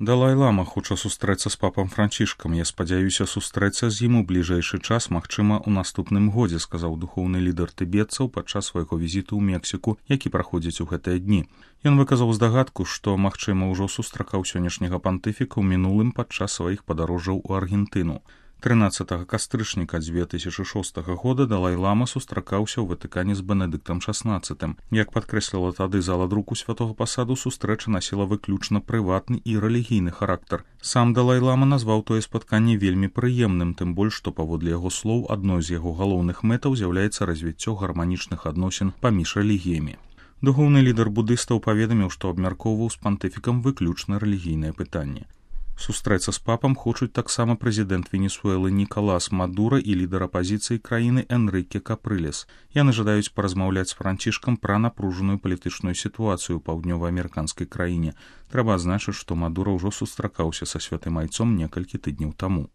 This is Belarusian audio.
Далай-лама хоча сустрэцца з папам Францішкам. Я спадзяюся сустрэцца з ім у бліжэйшы час, магчыма, у наступным годзе, сказаў духоўны лідар тыбетцаў падчас свайго візіту ў Мексіку, які праходзіць у гэтыя дні. Ён выказаў здагадку, што, магчыма, ужо сустракаў сённяшняга пантыфіка ў мінулым падчас сваіх падарожжаў у Аргентыну. 13 кастрычніка 2006 года Далай-лама сустракаўся ў Ватыкане з Бенедыктам XVI. Як падкрэсліла тады зала друку святога пасаду, сустрэча насіла выключна прыватны і рэлігійны характар. Сам Далай-лама назваў тое спатканне вельмі прыемным, тым больш, што паводле яго слоў адной з яго галоўных мэтаў з'яўляецца развіццё гарманічных адносін паміж рэлігіямі. Духоўны лідар будыстаў паведаміў, што абмяркоўваў з пантыфікам выключна рэлігійнае пытанне. Сустрэцца з папам хочуць таксама прэзідэнт Венесуэлы Нікалас Мадура і лідар апазіцыі краіны Энрыке Капрылес. Яны жадаюць паразмаўляць з Францішкам пра напружаную палітычную сітуацыю ў паўднёва-амерыканскай краіне. Трэба адзначыць, што Мадура ўжо сустракаўся са святым айцом некалькі тыдняў таму.